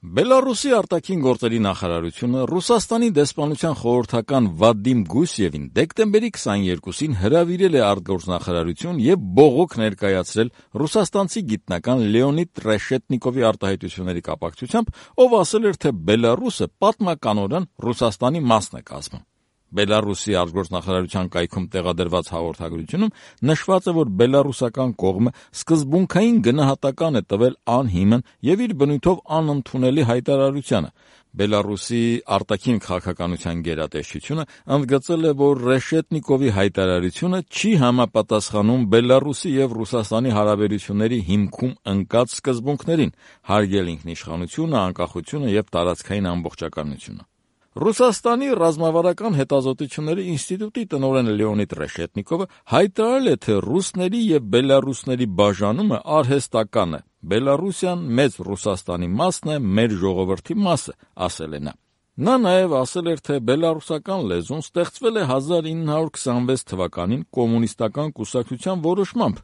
Բելարուսի արտաքին գործերի նախարարությունը Ռուսաստանի դեսպանության խորհրդական Վադիմ Գուսևին դեկտեմբերի 22-ին հրավիրել է արտգործնախարարություն եւ բողոք ներկայացրել ռուսաստանցի գիտնական Լեոնիդ Ռեշետնիկովի արտահայտությունների կապակցությամբ, ով ասել էր, թե Բելարուսը պատմականորեն Ռուսաստանի մասն է կազմում։ Բելարուսի արտգործնախարարության կայքում տեղադրված հաղորդագրությունում նշված է, որ բելարուսական կողմը սկզբունքային գնահատական է տվել անհիմն եւ իր բնույթով անընդունելի հայտարարությանը։ Բելարուսի արտաքին քաղաքականության գերատեսչությունը ընդգծել է, որ Ռեշետնիկովի հայտարարությունը չի համապատասխանում Բելարուսի եւ Ռուսաստանի հարաբերությունների հիմքում ընկած սկզբունքներին՝ հարգել ինքնիշխանությունը, անկախությունը եւ տարածքային ամբողջականությունը։ Ռուսաստանի ռազմավարական հետազոտությունների ինստիտուտի տնօրեն Լեոնիդ Ռեշետնիկովը հայտարարել է, թե ռուսների եւ բելարուսների բաժանումը արհեստական է։ Բելարուսիան մեծ Ռուսաստանի մասն է, մեր ժողովրդի մասը, ասել է նա։ Նա նաև ասել էր, թե բելարուսական լեզուն ստեղծվել է 1926 թվականին կոմունիստական կուսակցության որոշմամբ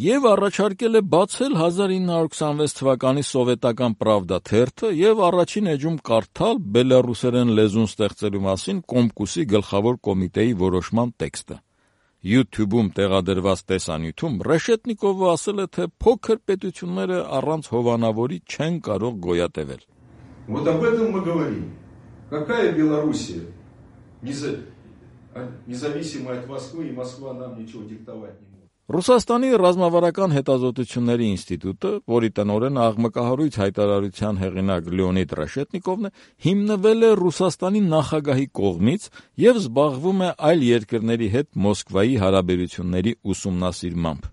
եւ առաջարկել է բացել 1926 թվականի սովետական Պրավդա թերթը եւ առաջին էջում կարդալ բելարուսերեն լեզուն ստեղծելու մասին Կոմկուսի գլխավոր կոմիտեի որոշման տեքստը։ YouTube-ում տեղադրված տեսանյութում Ռեշետնիկովը ասել է, թե փոքր պետությունները առանց հովանավորի չեն կարող գոյատևել։ Вот об этом мы говорим. Какая Белоруссия? Независимая от Москвы, и Москва нам ничего диктовать не может. Ռուսաստանի ռազմավարական հետազոտությունների ինստիտուտը, որի տնօրեն աղմկահարույց հայտարարության հեղինակ Լեոնիդ Ռեշետնիկովն է, հիմնվել է Ռուսաստանի նախագահի կողմից եւ զբաղվում է այլ երկրների հետ Մոսկվայի հարաբերությունների ուսումնասիրմամբ։